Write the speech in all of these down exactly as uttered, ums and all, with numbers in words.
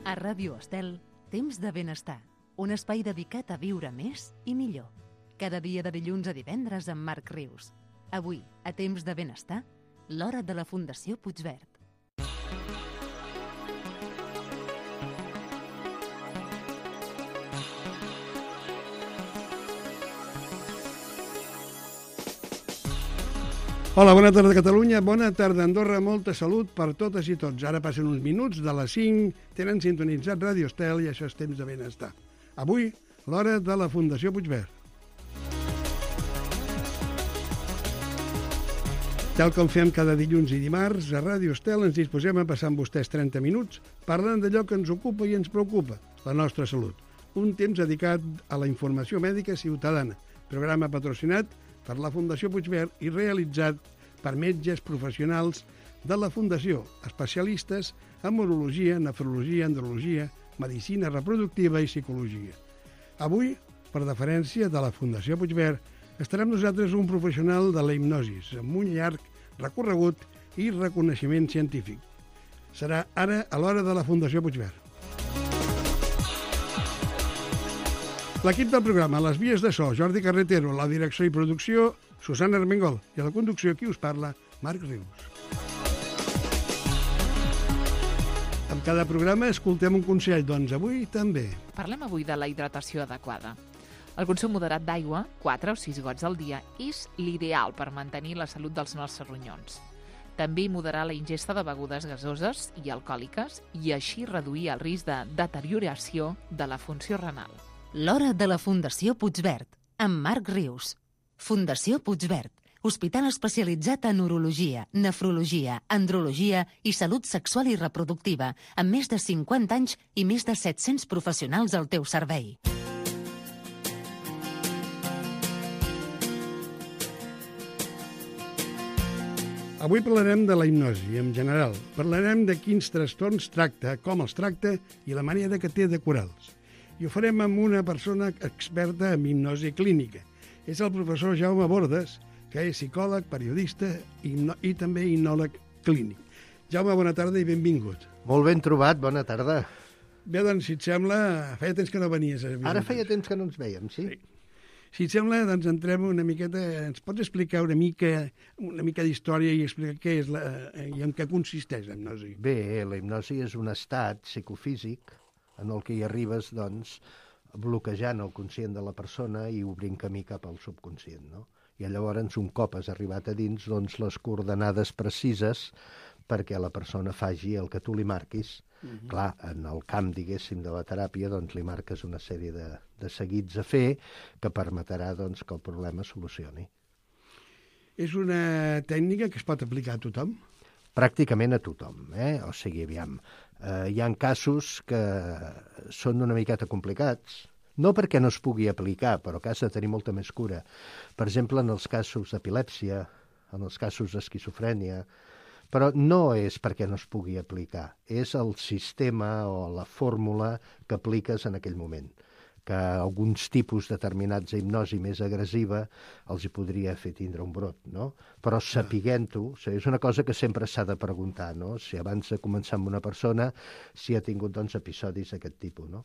A Ràdio Estel, Temps de Benestar, un espai dedicat a viure més i millor. Cada dia de dilluns a divendres amb Marc Rius. Avui, a Temps de Benestar, l'hora de la Fundació Puigverd. Hola, bona tarda Catalunya, bona tarda Andorra, molta salut per totes i tots. Ara passen uns minuts de les cinc, tenen sintonitzat Ràdio Estel i això és Temps de Benestar. Avui, l'hora de la Fundació Puigverd. Tal com fem cada dilluns i dimarts, a Ràdio Estel ens disposem a passar amb vostès trenta minuts parlant d'allò que ens ocupa i ens preocupa, la nostra salut. Un temps dedicat a la informació mèdica ciutadana, programa patrocinat per la Fundació Puigverd i realitzat per metges professionals de la Fundació, especialistes en urologia, nefrologia, andrologia, medicina reproductiva i psicologia. Avui, per deferència de la Fundació Puigverd, estarà amb nosaltres un professional de la hipnosis, amb un llarg recorregut i reconeixement científic. Serà ara a l'hora de la Fundació Puigverd. L'equip del programa, les vies de so, Jordi Carretero, la direcció i producció, Susana Armengol, i a la conducció, qui us parla, Marc Rius. En cada programa escoltem un consell, doncs avui també. Parlem avui de la hidratació adequada. El consum moderat d'aigua, quatre o sis gots al dia, és l'ideal per mantenir la salut dels nostres ronyons. També moderar la ingesta de begudes gasoses i alcohòliques i així reduir el risc de deterioració de la funció renal. L'hora de la Fundació Puigverd, amb Marc Rius. Fundació Puigverd, hospital especialitzat en urologia, nefrologia, andrologia i salut sexual i reproductiva, amb més de cinquanta anys i més de set-cents professionals al teu servei. Avui parlarem de la hipnosi, en general. Parlarem de quins trastorns tracta, com els tracta i la manera que té de curar-los. I ho farem amb una persona experta en hipnosi clínica. És el professor Jaume Bordes, que és psicòleg, periodista i, i també hipnòleg clínic. Jaume, bona tarda i benvingut. Molt ben trobat, bona tarda. Bé, doncs, si et sembla, feia temps que no venies. A Ara feia temps que no ens veiem, sí? sí. Si et sembla, doncs entrem una miqueta... Ens pots explicar una mica una mica d'història i explicar què és la, i en què consisteix la hipnosi? Bé, la hipnosi és un estat psicofísic en el que hi arribes, doncs, bloquejant el conscient de la persona i obrint camí cap al subconscient, no? I llavors, un cop has arribat a dins, doncs, les coordenades precises perquè la persona faci el que tu li marquis. Uh-huh. Clar, en el camp, diguéssim, de la teràpia, doncs, li marques una sèrie de, de seguits a fer que permetrà, doncs, que el problema es solucioni. És una tècnica que es pot aplicar a tothom? Pràcticament a tothom, eh? O sigui, aviam, eh, hi ha casos que són una miqueta complicats, no perquè no es pugui aplicar, però que has de tenir molta més cura. Per exemple, en els casos d'epilèpsia, en els casos d'esquizofrènia, però no és perquè no es pugui aplicar, és el sistema o la fórmula que apliques en aquell moment, que alguns tipus determinats d'hipnosi més agressiva els hi podria fer tindre un brot, no? Però sapiguent-ho, o sigui, és una cosa que sempre s'ha de preguntar, no? Si abans de començar amb una persona, si ha tingut, doncs, episodis d'aquest tipus, no?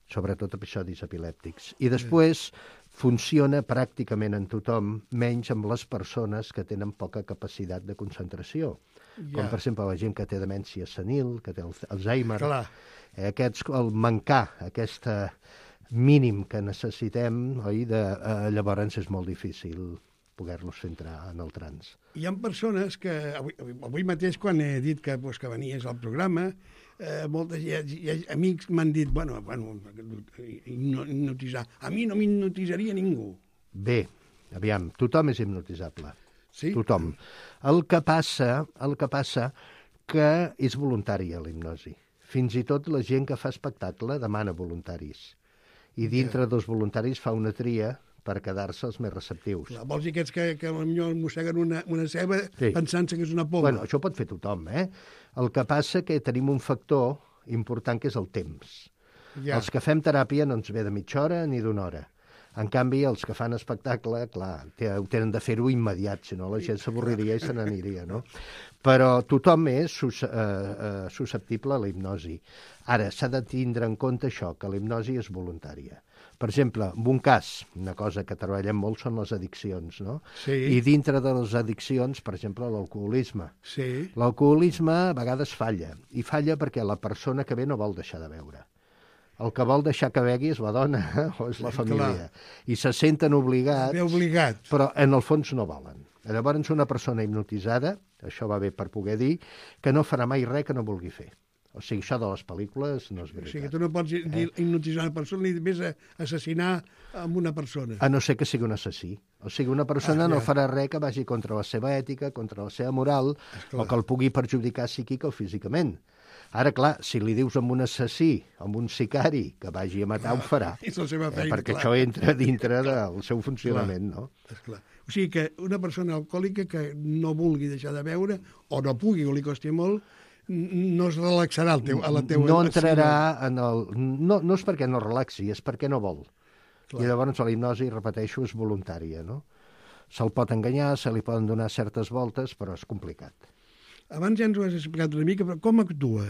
Sobretot episodis epilèptics. I després funciona pràcticament en tothom, menys amb les persones que tenen poca capacitat de concentració. Ja. Com, per exemple, la gent que té demència senil, que té Alzheimer. Clar. Eh, aquests, el mancar aquesta mínim que necessitem, oi? De, eh, llavors és molt difícil poder-los fer entrar en el trans. Hi ha persones que, avui, avui mateix, quan he dit que, pues, que venies al programa, eh, moltes hi ha, hi ha amics m'han dit, bueno, bueno, hipnotitzar. A mi no m'hipnotitzaria ningú. Bé, aviam, tothom és hipnotitzable. Sí? Tothom. El que passa, el que passa que és voluntària la hipnosi. Fins i tot la gent que fa espectacle demana voluntaris. I dintre dels voluntaris fa una tria per quedar-se els més receptius. Clar, vols dir aquests que, que potser mosseguen una, una ceba sí. pensant-se que és una poma? Bueno, això pot fer tothom, eh? El que passa que tenim un factor important que és el temps. Ja. Els que fem teràpia no ens ve de mitja hora ni d'una hora. En canvi, els que fan espectacle, clar, ho tenen de fer-ho immediat, si no la gent s'avorriria i se n'aniria, no? Però tothom és sus, eh, eh, susceptible a la hipnosi. Ara, s'ha de tindre en compte això, que la hipnosi és voluntària. Per exemple, en un cas, una cosa que treballem molt són les addiccions, no? Sí. I dintre de les addiccions, per exemple, l'alcoholisme. Sí. L'alcoholisme a vegades falla, i falla perquè la persona que ve no vol deixar de beure. El que vol deixar que begui és la dona o és la família. I se senten obligats, Bé obligat. però en el fons no volen. Llavors una persona hipnotitzada, això va bé per poder dir, que no farà mai res que no vulgui fer. O sigui, això de les pel·lícules no és veritat. O sigui, tu no pots dir hipnotitzar una persona ni més assassinar amb una persona. A no ser que sigui un assassí. O sigui, una persona Ah, no ja. farà res que vagi contra la seva ètica, contra la seva moral, Esclar. o que el pugui perjudicar psíquica o físicament. Ara, clar, si li dius amb un assassí, amb un sicari, que vagi a matar, ho farà. És la seva Eh, feina, perquè clar. això entra dintre del seu funcionament, no? Esclar. O sigui que una persona alcohòlica que no vulgui deixar de beure, o no pugui, o li costi molt, n- no es relaxarà al teu, a la teua... No entrarà en el... No, no és perquè no relaxi, és perquè no vol. Clar. I llavors la hipnosi, repeteixo, és voluntària, no? Se'l pot enganyar, se li poden donar certes voltes, però és complicat. Abans ja ens ho has explicat una mica, però com actua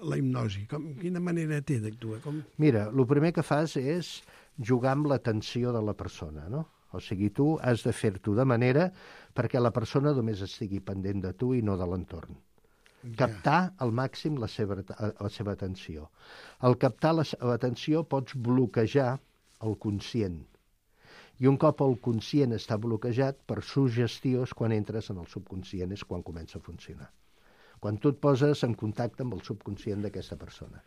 la hipnosi? Com, quina manera té d'actuar? Com... Mira, el primer que fas és jugar amb l'atenció de la persona, no? O sigui, tu has de fer-t'ho de manera perquè la persona només estigui pendent de tu i no de l'entorn. Captar al màxim la seva, la seva atenció. Al captar l'atenció pots bloquejar el conscient. I un cop el conscient està bloquejat, per suggestió és quan entres en el subconscient, és quan comença a funcionar. Quan tu et poses en contacte amb el subconscient d'aquesta persona.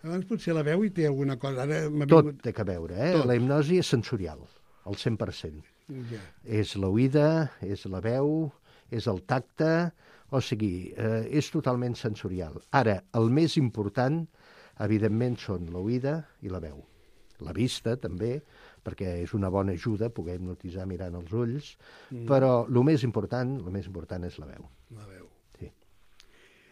Abans potser la veu i té alguna cosa. Ara m'ha Tot vingut... té que veure, eh? Tot. La hipnosi és sensorial, al cent per cent. Ja. És l'oïda, és la veu, és el tacte, o sigui, eh, és totalment sensorial. Ara, el més important, evidentment, són l'oïda i la veu. La vista, també, perquè és una bona ajuda poder hipnotitzar mirant els ulls, mm. però el més important, el més important és la veu. La veu. Sí.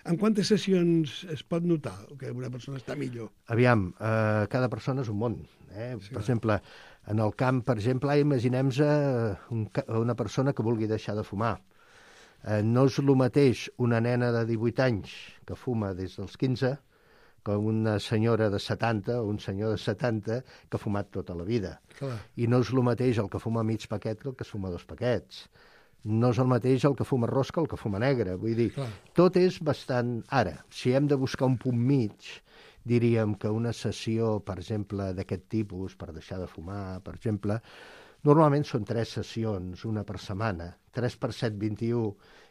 En quantes sessions es pot notar que una persona està millor? Aviam, eh, cada persona és un món. Eh? Sí, per va. exemple, en el camp, per exemple, imaginem-nos eh, un, ca- una persona que vulgui deixar de fumar. Eh, no és el mateix una nena de divuit anys que fuma des dels quinze que una senyora de setanta o un senyor de setanta que ha fumat tota la vida. Clar. I no és el mateix el que fuma mig paquet que el que es fuma dos paquets. No és el mateix el que fuma arròs que el que fuma negre. Vull dir, Clar. tot és bastant... Ara, si hem de buscar un punt mig, diríem que una sessió, per exemple, d'aquest tipus, per deixar de fumar, per exemple, normalment són tres sessions, una per setmana, tres per set, vint-i-u,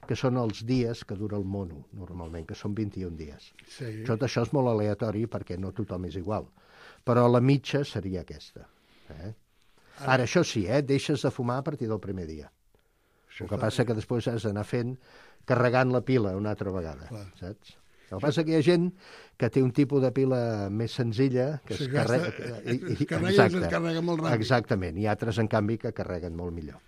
que són els dies que dura el mono, normalment, que són vint-i-un dies. Sí. Tot això és molt aleatori perquè no tothom és igual, però la mitja seria aquesta. Eh? Ara, això sí, eh? deixes de fumar a partir del primer dia. Això El que fa- passa que després has d'anar fent, carregant la pila una altra vegada, Clar. saps? El que passa que hi ha gent que té un tipus de pila més senzilla, que Sí, es que carrega... està- i- i- es carrega i es descarrega molt ràpid. Exactament, i altres, en canvi, que carreguen molt millor.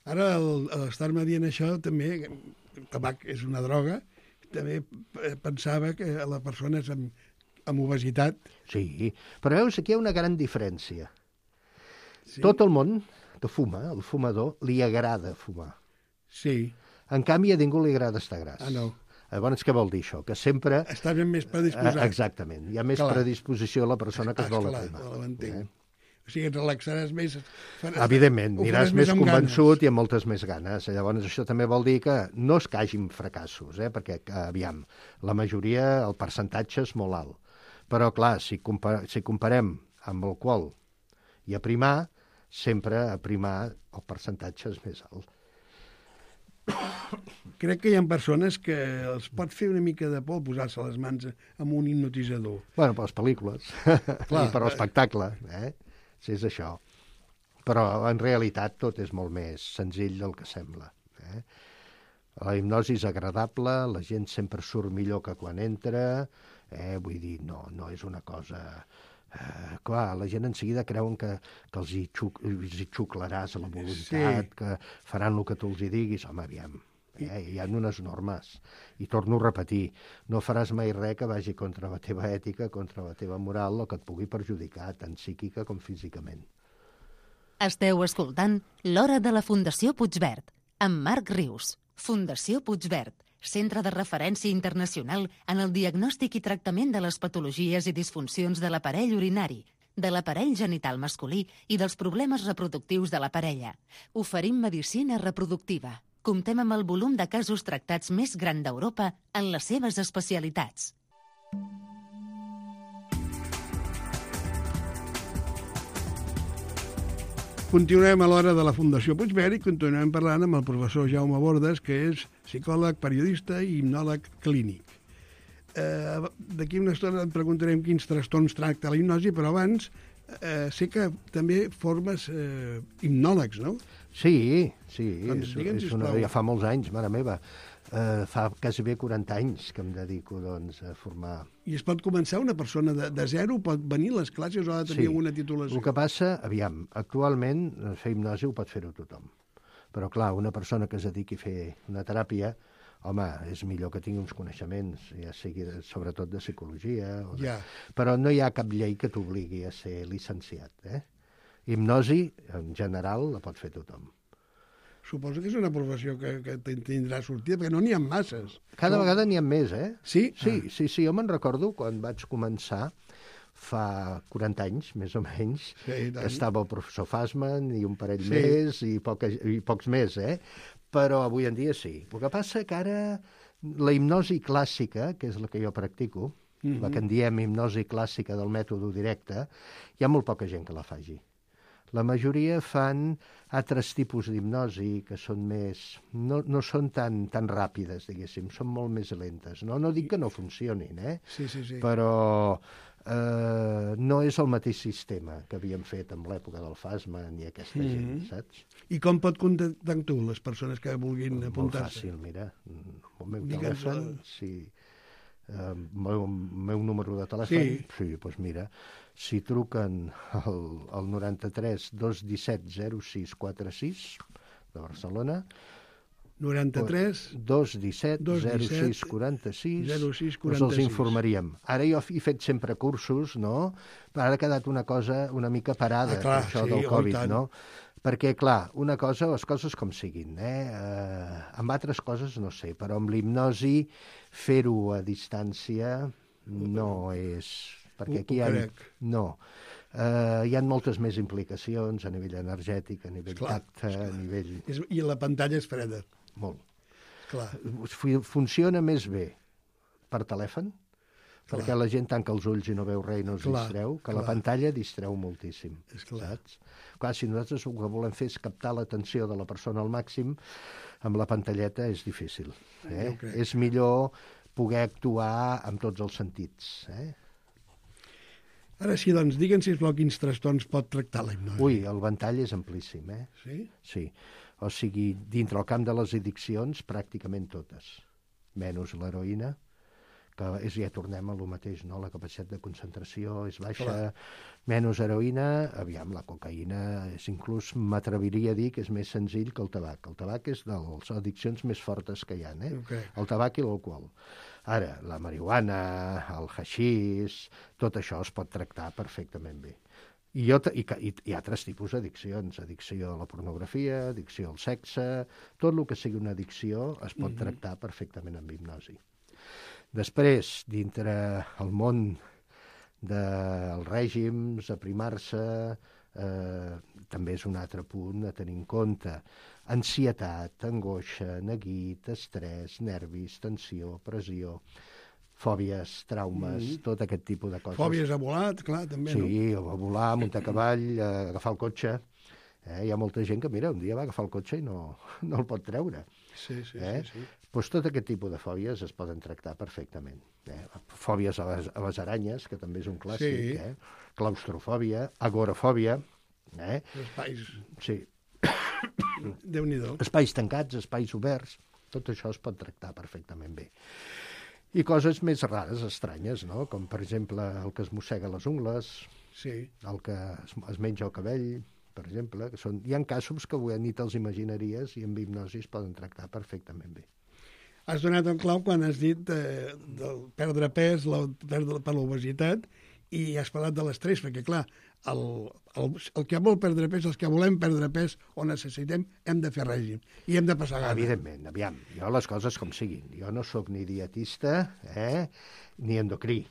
Ara, el- a l'estar-me dient això, també, el tabac és una droga, també eh, pensava que la persona és amb, amb obesitat... Sí, però veus, aquí hi ha una gran diferència. Sí. Tot el món que fuma, el fumador, li agrada fumar. Sí. En canvi, a ningú li agrada estar gras. Ah, no. Llavors, què vol dir això? Que sempre... Està ben més predisposat. Eh, Exactament. Hi ha més Clar. predisposició a la persona que es vol Esclar, aprimar. ho entenc. Eh? O sigui, et relaxaràs més... faràs- Evidentment, ho aniràs faràs més amb convençut ganes. i amb moltes més ganes. Llavors, això també vol dir que no és que hagin fracassos, eh? perquè, aviam, la majoria, el percentatge és molt alt. Però, clar, si, compar si comparem amb alcohol i aprimar, sempre aprimar el percentatge és més alt. Crec que hi ha persones que els pot fer una mica de por posar-se les mans amb un hipnotitzador. Bueno, per les pel·lícules Clar. i per l'espectacle, eh? Si és això. Però, en realitat, tot és molt més senzill del que sembla. Eh? La hipnosi és agradable, la gent sempre surt millor que quan entra, eh? Vull dir, no, no és una cosa... Eh, clar, la gent en seguida creuen que, que els, hi xuc, els hi xuclaràs a la voluntat, Sí. que faran el que tu els hi diguis. Home, aviam, eh? Hi ha unes normes. I torno a repetir, no faràs mai res que vagi contra la teva ètica, contra la teva moral, o que et pugui perjudicar, tant psíquica com físicament. Esteu escoltant L'Hora de la Fundació Puigverd, amb Marc Rius. Fundació Puigverd, centre de referència internacional en el diagnòstic i tractament de les patologies i disfuncions de l'aparell urinari, de l'aparell genital masculí i dels problemes reproductius de la parella. Oferim medicina reproductiva. Comptem amb el volum de casos tractats més gran d'Europa en les seves especialitats. Continuem a l'Hora de la Fundació Puigverd i continuem parlant amb el professor Jaume Bordes, que és psicòleg, periodista i hipnòleg clínic. Eh, D'aquí una estona et preguntarem quins trastorns tracta la hipnosi, però abans eh, sé que també formes eh, hipnòlegs, no? Sí, sí, Doncs és, digue'ns, és una, sisplau. ja fa molts anys, mare meva. Uh, fa quasi bé quaranta anys que em dedico doncs, a formar... I es pot començar una persona de, de zero, pot venir a les classes o ha de tenir Sí. alguna titulació? El que passa, aviam, actualment eh, fer hipnosi ho pot fer-ho tothom. Però, clar, una persona que es dediqui a fer una teràpia, home, és millor que tingui uns coneixements, ja sigui de, sobretot de psicologia. O de... Ja. Però no hi ha cap llei que t'obligui a ser llicenciat. Eh? Hipnosi, en general, la pot fer tothom. Suposo que és una professió que, que tindrà sortida, perquè no n'hi ha masses. Cada No? vegada n'hi ha més, eh? Sí? Sí, Ah. sí, sí, jo me'n recordo quan vaig començar, fa quaranta anys, més o menys, Sí, i tant. que estava el professor Fassman i un parell Sí. més i, poca, i pocs més, eh? Però avui en dia sí. El que passa que ara la hipnosi clàssica, que és la que jo practico, Mhm. la que en diem hipnosi clàssica del mètode directe, hi ha molt poca gent que la faci. La majoria fan altres tipus d'hipnosi que són més... No, no són tan, tan ràpides, diguéssim, són molt més lentes. No, no dic que no funcionin, eh? Sí, sí, sí. Però eh, no és el mateix sistema que havíem fet en l'època del Fassman i aquesta Mhm. gent, saps? I com pot contactar amb tu, les persones que vulguin Molt apuntar-se? fàcil, mira. El meu Digue'ns, telèfon, eh. si... El meu, meu número de telèfon, Sí. sí, doncs mira, si truquen al, al noranta-tres dos disset zero sis quaranta sis de Barcelona, noranta-tres dos disset dos zero disset sis quaranta sis, zero sis doncs quaranta els sis. informaríem. Ara jo he fet sempre cursos, no? Però ara ha quedat una cosa una mica parada, Ah, clar, això sí, del oh, i Covid, tant. no? Perquè, clar, una cosa, les coses com siguin, eh? eh amb altres coses no sé, però amb l'hipnosi fer-ho a distància no és... Perquè Ho- aquí ho hi ha... crec. No. Uh, hi ha moltes més implicacions a nivell energètic, a nivell Esclar, tacte, a nivell... És, I la pantalla és freda, Molt. clar. Fu- Funciona més bé per telèfon, Clar. perquè la gent tanca els ulls i no veu res i no es Clar, distreu, que clar. la pantalla distreu moltíssim. És clar. Saps? Clar, si nosaltres el que volem fer és captar l'atenció de la persona al màxim, amb la pantalleta és difícil. Eh? Jo crec. És millor poder actuar amb tots els sentits. Eh? Ara sí, doncs, digue'ns, sisplau, quins trastorns pot tractar la hipnosi. Ui, el ventall és amplíssim, eh? Sí? Sí. O sigui, dintre el camp de les addiccions, pràcticament totes. Menys l'heroïna, que és, ja tornem a lo mateix, no? La capacitat de concentració és baixa, Clar. menys heroïna, aviam, la cocaïna és inclús, m'atreviria a dir que és més senzill que el tabac. El tabac és de les addiccions més fortes que hi ha, eh? Ok. El tabac i l'alcohol. Ara, la marihuana, el haixís, tot això es pot tractar perfectament bé. I, jo, i, i, i altres tipus d'addiccions, addicció a la pornografia, addicció al sexe, tot el que sigui una addicció es pot Mhm. tractar perfectament amb hipnosi. Després, dintre el món dels règims, aprimar-se, eh, també és un altre punt a tenir en compte. Ansietat, angoixa, neguit, estrès, nervis, tensió, pressió, fòbies, traumes, Mhm. tot aquest tipus de coses. Fòbies a volat, clar, també, no? Sí, o a volar, muntar a cavall, a agafar el cotxe. Eh, hi ha molta gent que, mira, un dia va agafar el cotxe i no, no el pot treure. Sí, sí, Eh? sí, sí. Doncs tot aquest tipus de fòbies es poden tractar perfectament. Eh? Fòbies a les, a les aranyes, que també és un clàssic. Sí. Eh? Claustrofòbia, agorafòbia. Eh? Espais, Sí. Déu-n'hi-do. Espais tancats, espais oberts, tot això es pot tractar perfectament bé. I coses més rares, estranyes, no? Com, per exemple, el que es mossega les ungles, Sí. el que es, es menja el cabell, per exemple. Que són, hi ha casos que avui ni te'ls imaginaries i amb hipnosi es poden tractar perfectament bé. Has donat en clau quan has dit eh, del perdre pes, la, perdre per l'obesitat, i has parlat de l'estrès, perquè, clar, el, el, el que vol perdre pes, els que volem perdre pes o necessitem, hem de fer règim i hem de passar gana. Evidentment, aviam, jo les coses com siguin. Jo no sóc ni dietista eh, ni endocrí.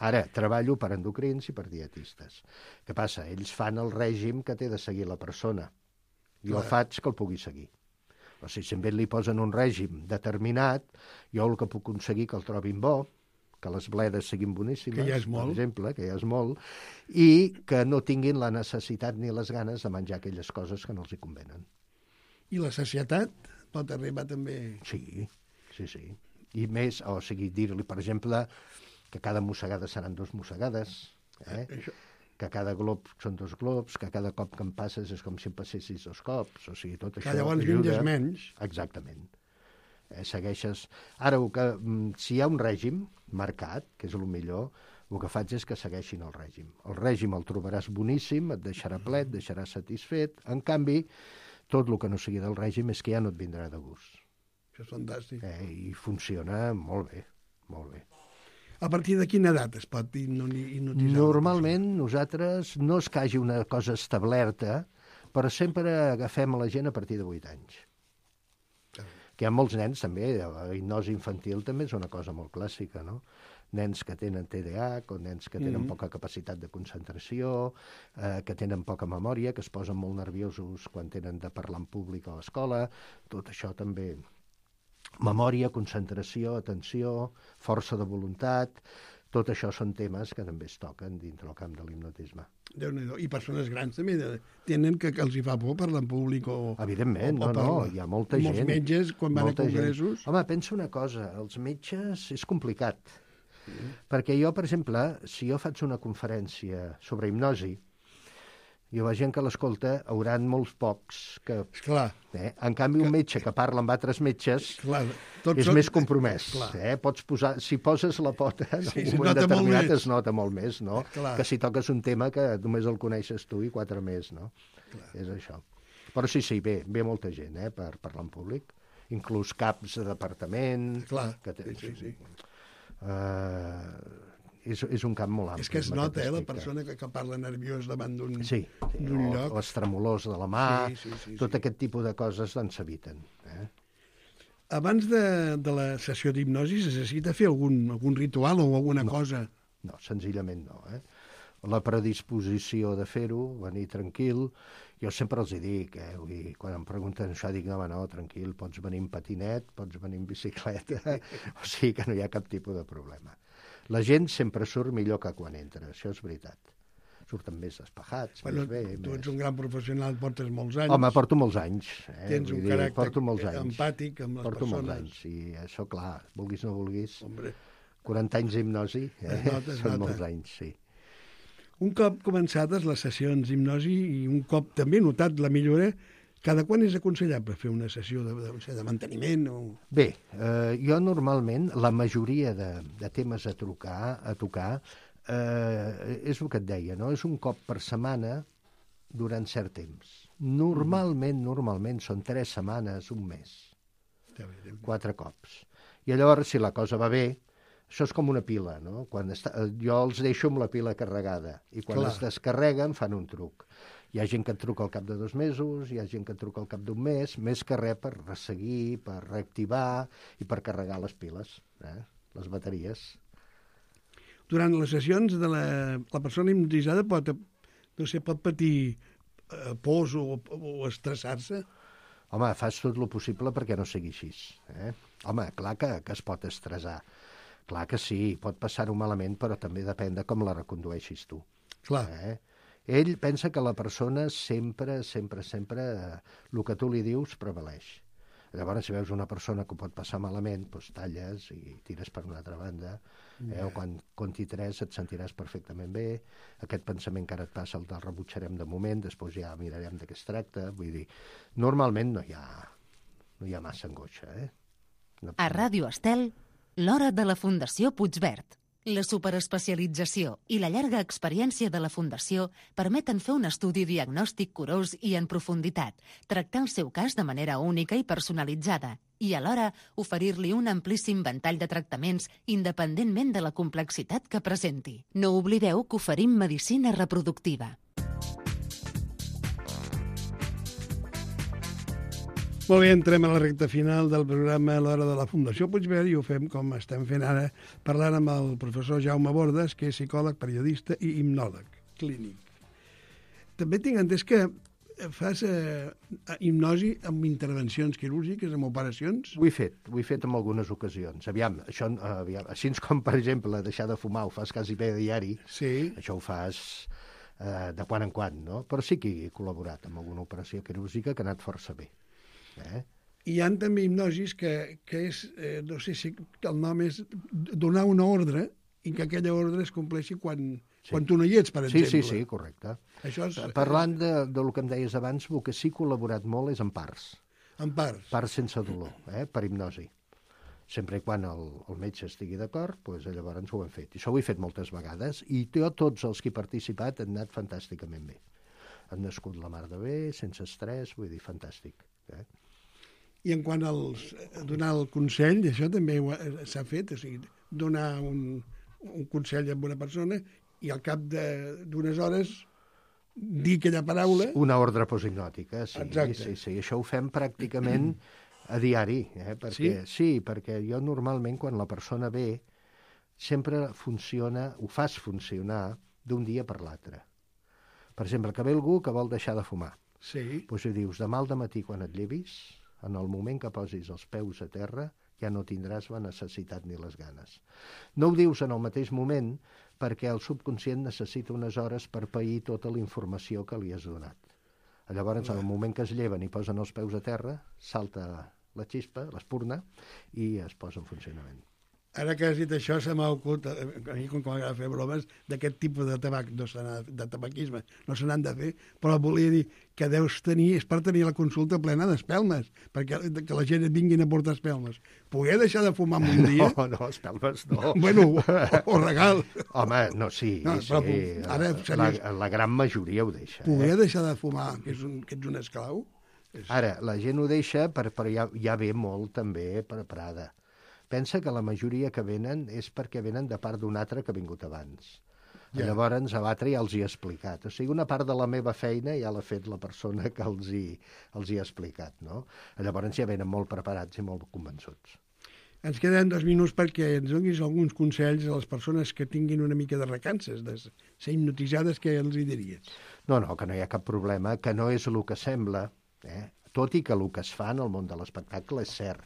Ara, treballo per endocrins i per dietistes. Què passa? Ells fan el règim que té de seguir la persona. Jo Clar. faig que el pugui seguir. O sigui, si a ell li posen un règim determinat, jo el que puc aconseguir que el trobin bo, que les bledes siguin boníssimes, Que ja és molt. per exemple, que ja és molt, i que no tinguin la necessitat ni les ganes de menjar aquelles coses que no els hi convenen. I la societat pot arribar també... Sí, sí, sí. I més, o sigui, dir-li, per exemple, que cada mossegada seran dos mossegades, eh? Això... que cada glob són dos globs, que cada cop que em passes és com si em passessis dos cops, o sigui, tot Que això llavors ajuda. menges menys. Exactament. Eh, segueixes... Ara, el que, mm, si hi ha un règim marcat, que és el millor, el que faig és que segueixin el règim. El règim el trobaràs boníssim, et deixarà ple, et deixarà satisfet. En canvi, tot el que no sigui del règim és que ja no et vindrà de gust. Això és fantàstic. Eh, I funciona molt bé, molt bé. A partir de quina edat es pot hipnotitzar? Normalment, nosaltres no és que hagi una cosa establerta, però sempre agafem a la gent a partir de vuit anys. Que hi ha molts nens, també, la hipnosi infantil també és una cosa molt clàssica, no? Nens que tenen T D A H o nens que tenen Mm-hmm. poca capacitat de concentració, eh, que tenen poca memòria, que es posen molt nerviosos quan tenen de parlar en públic a l'escola, tot això també. Memòria, concentració, atenció, força de voluntat, tot això són temes que també es toquen dintre el camp de l'hipnotisme. Déu-n'hi-do. I persones grans també de, tenen que, que els hi fa por parlar en públic o... Evidentment, o, o no, no, hi ha molta Molts gent. metges, quan van molta a congressos... Gent. Home, pensa una cosa, els metges és complicat, mm. perquè jo, per exemple, si jo faig una conferència sobre hipnosi, jo la gent que l'escolta hauran molts pocs que... Esclar, Eh? En canvi, un metge que parla amb altres metges esclar. Tots és són- més compromès. Clar. Eh? Pots posar, si poses la pota en Sí, un se moment nota molt determinat més. es nota molt més, no? Clar. Que si toques un tema que només el coneixes tu i quatre més, no? Clar. És això. Però sí, sí, ve, ve molta gent eh, per parlar en públic, inclús caps de departament... Clar, que té, sí, sí, sí. Uh, és, és un camp molt ampli. És que es en nota, aquest eh, la aspecte. persona que, que parla nerviós davant d'un Sí, sí d'un o, lloc. les tremolors de la mà, Sí, sí, sí, tot sí. aquest tipus de coses doncs s'eviten. Eh? Abans de, de la sessió d'hipnosi es necessita fer algun, algun ritual o alguna no. cosa? No, senzillament no. Eh? La predisposició de fer-ho, venir tranquil, jo sempre els hi dic, eh? Vull dir, quan em pregunten això, dic, no, no, tranquil, pots venir en patinet, pots venir en bicicleta, o sigui que no hi ha cap tipus de problema. La gent sempre surt millor que quan entra, això és veritat. Surten més despejats, Bueno, més bé. tu més... ets un gran professional, portes molts anys. Home, porto molts anys. Eh? Tens Vull un dir, caràcter porto molts anys. empàtic amb les porto persones. molts anys, i això, clar, vulguis o no vulguis, Hombre, quaranta anys d'hipnosi, eh? Es nota, es són nota. molts anys, sí. un cop començades les sessions d'hipnosi i un cop també notat la millora, cada quan és aconsellable fer una sessió de, de, de, de manteniment? O... Bé, eh, jo normalment, la majoria de, de temes a trucar, a tocar, eh, és el que et deia, no? És un cop per setmana durant cert temps. Normalment, normalment, són tres setmanes, un mes, quatre cops. I llavors, si la cosa va bé, això és com una pila, no? Quan està, jo els deixo amb la pila carregada i quan Clar. es descarreguen fan un truc. Hi ha gent que et truca al cap de dos mesos, hi ha gent que et truca al cap d'un mes, més que res per resseguir, per reactivar i per carregar les piles, eh? Les bateries. Durant les sessions de la, la persona hipnotitzada pot, no sé, pot patir eh, pors o, o estressar-se? Home, fas tot el possible perquè no sigui així. Eh? Home, clar que, que es pot estressar. Clar que sí, pot passar-ho malament, però també depèn de com la recondueixis tu. Clar. Eh? Ell pensa que la persona sempre, sempre, sempre, eh, el que tu li dius prevaleix. Llavors, si veus una persona que ho pot passar malament, doncs talles i tires per una altra banda. Eh? O quan conti tres et sentiràs perfectament bé. Aquest pensament que ara et passa el del rebutjarem de moment, després ja mirarem de què es tracta. Vull dir, normalment no hi ha, no hi ha massa angoixa. Eh? No... A Ràdio Estel, l'hora de la Fundació Puigverd. La superespecialització i la llarga experiència de la Fundació permeten fer un estudi diagnòstic curós i en profunditat, tractar el seu cas de manera única i personalitzada i alhora oferir-li un amplíssim ventall de tractaments independentment de la complexitat que presenti. No oblideu que oferim medicina reproductiva. Molt bé, entrem a la recta final del programa a l'hora de la Fundació Puigverd i ho fem com estem fent ara, parlant amb el professor Jaume Bordes, que és psicòleg, periodista i hipnòleg clínic. També tinc entès que fas eh, hipnosi amb intervencions quirúrgiques, amb operacions? Ho he fet, ho he fet en algunes ocasions. Aviam, això, aviam, així com, per exemple, deixar de fumar ho fas quasi bé a diari, sí. Això ho fas eh, de quan en quan, no? Però sí que he col·laborat amb alguna operació quirúrgica que ha anat força bé. Eh? Hi ha també hipnosis que, que és, eh, no sé si el nom és donar una ordre i que aquella ordre es compleixi quan, sí. quan tu no hi ets, per exemple. Sí, sí, sí, correcte. Això és, Parlant de, del que em deies abans, el que sí que he col·laborat molt és en parts. En parts? Parts sense dolor, eh? Per hipnosi. Sempre i quan el, el metge estigui d'acord, doncs llavors ho hem fet. I això ho he fet moltes vegades i jo, tots els que he participat han anat fantàsticament bé. Han nascut la mar de bé, sense estrès, vull dir, fantàstic. Eh? I en quant als donar el consell, això també s'ha fet, o sigui, donar un, un consell a una persona i al cap d'unes hores dir aquella paraula... Una ordre posthipnòtica, sí. Exacte. Sí, sí. Això ho fem pràcticament a diari, eh? Perquè, sí? Sí, perquè jo normalment quan la persona ve sempre funciona, ho fas funcionar d'un dia per l'altre. Per exemple, que ve algú que vol deixar de fumar. Sí. Doncs li dius, demà al dematí quan et llevis, en el moment que posis els peus a terra, ja no tindràs la necessitat ni les ganes. No ho dius en el mateix moment perquè el subconscient necessita unes hores per pair tota la informació que li has donat. Llavors, en el moment que es lleven i posen els peus a terra, salta la xispa, l'espurna, i es posa en funcionament. Ara que has dit això, se m'ha ocut, a mi com que m'agrada fer bromes, d'aquest tipus de tabac, no de tabaquisme, no se n'han de fer, però volia dir que deus tenir, és per tenir la consulta plena d'espelmes, perquè que la gent et vinguin a portar espelmes. Poder deixar de fumar en un dia? No, no, espelmes no. Bueno, o, o regal. Home, no, sí, no, sí. Ara, la, la gran majoria ho deixa. Poder eh? deixar de fumar, que, és un, que ets un esclau? És... Ara, la gent ho deixa, però ja, ja ve molt també preparada. Pensa que la majoria que venen és perquè venen de part d'un altre que ha vingut abans. Yeah. Llavors, a l'altre ja els hi he explicat. O sigui, una part de la meva feina ja l'ha fet la persona que els hi, els hi ha explicat, no? Llavors ja venen molt preparats i molt convençuts. Ens queden dos minuts perquè ens donis alguns consells a les persones que tinguin una mica de recances, de ser hipnotitzades, què els hi diries? No, no, que no hi ha cap problema, que no és el que sembla, eh? Tot i que el que es fa en el món de l'espectacle és cert.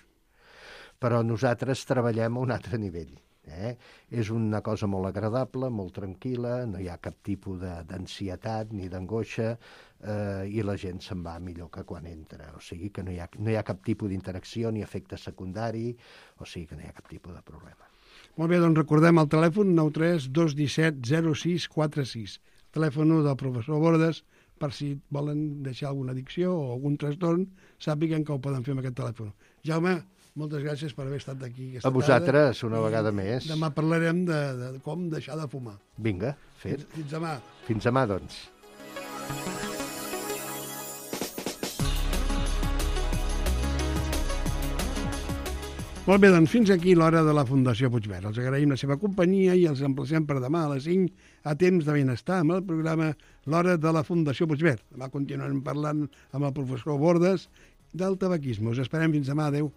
Però nosaltres treballem a un altre nivell. Eh? És una cosa molt agradable, molt tranquil·la, no hi ha cap tipus d'ansietat ni d'angoixa eh, i la gent se'n va millor que quan entra. O sigui que no hi ha, no hi ha cap tipus d'interacció ni efecte secundari, o sigui que no hi ha cap tipus de problema. Molt bé, doncs recordem el telèfon nou tres dos un set zero sis quatre sis, telèfon del professor Bordes, per si volen deixar alguna addicció o algun trastorn, sàpiguen que ho poden fer amb aquest telèfon. Jaume, moltes gràcies per haver estat aquí aquesta tarda. A vosaltres, una I vegada més. Demà parlarem de, de com deixar de fumar. Vinga, fet. Fins, fins demà. Fins demà, doncs. Molt bé, doncs fins aquí l'hora de la Fundació Puigverd. Els agraïm la seva companyia i els emplacem per demà a les cinc a Temps de Benestar amb el programa L'hora de la Fundació Puigverd. Demà continuarem parlant amb el professor Bordes del tabaquisme. Us esperem fins demà. Adéu.